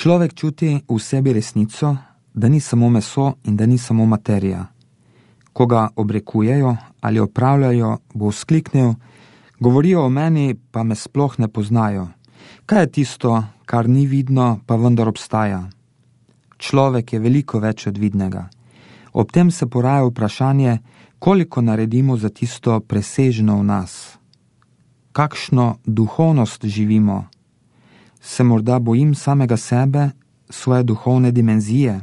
Človek čuti v sebi resnico, da ni samo meso in da ni samo materija. Ko ga obrekujejo ali opravljajo, bo vzkliknil: govorijo o meni, pa me sploh ne poznajo. Kaj je tisto, kar ni vidno, pa vendar obstaja? Človek je veliko več od vidnega. Ob tem se poraja vprašanje, koliko naredimo za tisto presežno v nas. Kakšno duhovnost živimo? Se morda bojim samega sebe, svoje duhovne dimenzije?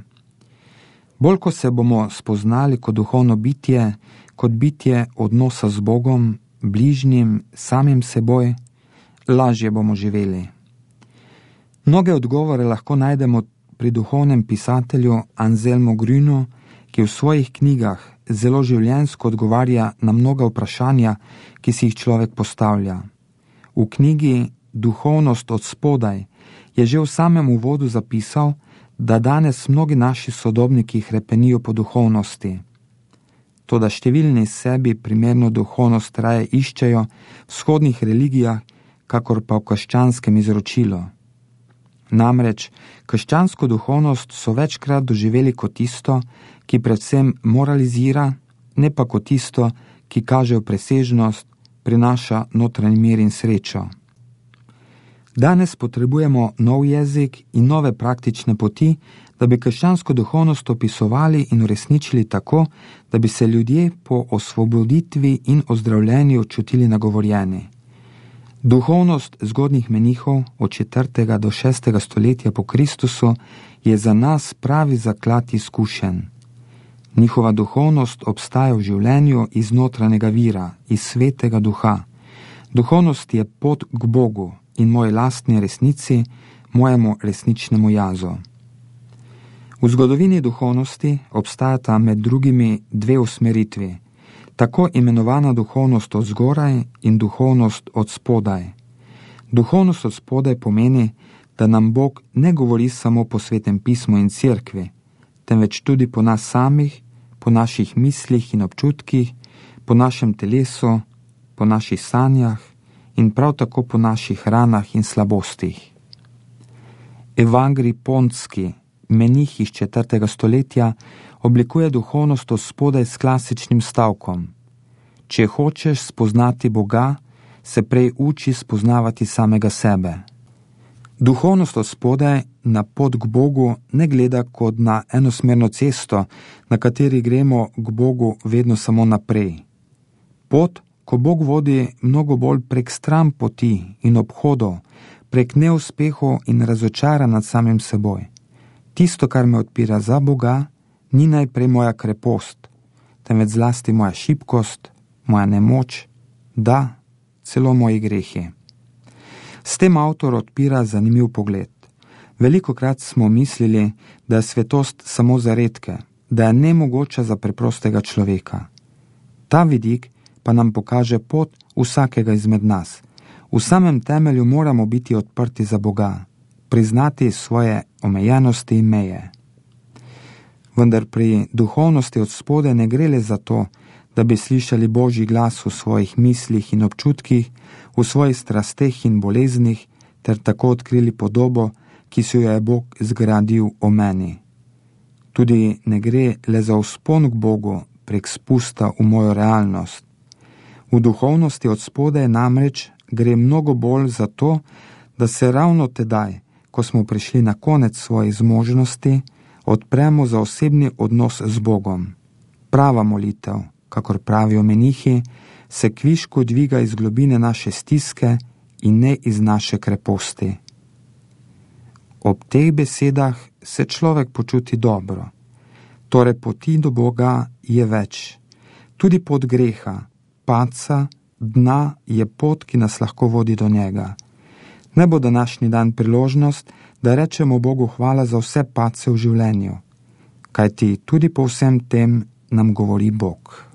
Bolj ko se bomo spoznali kot duhovno bitje, kot bitje odnosa z Bogom, bližnjim, samim seboj, lažje bomo živeli. Mnoge odgovore lahko najdemo pri duhovnem pisatelju Anselmu Grünu, ki v svojih knjigah zelo življenjsko odgovarja na mnoga vprašanja, ki si jih človek postavlja. V knjigi Duhovnost od spodaj je že v samem uvodu zapisal, da danes mnogi naši sodobniki hrepenijo po duhovnosti. Toda številni sebi primerno duhovnost raje iščejo v vzhodnih religijah, kakor pa v krščanskem izročilu. Namreč krščansko duhovnost so večkrat doživeli kot tisto, ki predvsem moralizira, ne pa kot tisto, ki kaže v presežnost, prinaša notranji mir in srečo. Danes potrebujemo nov jezik in nove praktične poti, da bi krščansko duhovnost opisovali in uresničili tako, da bi se ljudje po osvoboditvi in ozdravljenju čutili nagovorjeni. Duhovnost zgodnjih menihov od 4. do 6. stoletja po Kristusu je za nas pravi zaklad izkušenj. Njihova duhovnost obstaja v življenju iz notranjega vira, iz svetega duha. Duhovnost je pot k Bogu in moji lastni resnici, mojemu resničnemu jazu. V zgodovini duhovnosti obstajata med drugimi dve usmeritvi, tako imenovana duhovnost od zgoraj in duhovnost od spodaj. Duhovnost od spodaj pomeni, da nam Bog ne govori samo po Svetem pismu in cerkvi, temveč tudi po nas samih, po naših mislih in občutkih, po našem telesu, po naših sanjah in prav tako po naših ranah in slabostih. Evangelij Pontski, menih iz 4. stoletja, oblikuje duhovnost od spodaj s klasičnim stavkom: če hočeš spoznati Boga, se prej uči spoznavati samega sebe. Duhovnost od spodaj na pot k Bogu ne gleda kot na enosmerno cesto, na kateri gremo k Bogu vedno samo naprej. Pot, ko Bog vodi mnogo bolj prek stran poti in obhodov, prek neuspehov in razočaranj nad samim seboj. Tisto, kar me odpira za Boga, ni najprej moja krepost, temveč zlasti moja šibkost, moja nemoč, da, celo moji grehi. S tem avtor odpira zanimiv pogled. Velikokrat smo mislili, da je svetost samo za redke, da je nemogoča za preprostega človeka. Ta vidik pa nam pokaže pot vsakega izmed nas. V samem temelju moramo biti odprti za Boga, priznati svoje omejenosti in meje. Vendar pri duhovnosti od spodaj ne gre le za to, da bi slišali Božji glas v svojih mislih in občutkih, v svojih strasteh in boleznih, ter tako odkrili podobo, ki si jo je Bog zgradil o meni. Tudi ne gre le za vzpon k Bogu prek spusta v mojo realnost. V duhovnosti od spodaj namreč gre mnogo bolj za to, da se ravno tedaj, ko smo prišli na konec svojih zmožnosti, odpremo za osebni odnos z Bogom. Prava molitev, kakor pravijo menihi, se kvišku dviga iz globine naše stiske in ne iz naše kreposti. Ob teh besedah se človek počuti dobro. Torej poti do Boga je več. Tudi pot greha, padca, dna je pot, ki nas lahko vodi do njega. Ne bo današnji dan priložnost, da rečemo Bogu hvala za vse padce v življenju, kajti tudi po vsem tem nam govori Bog.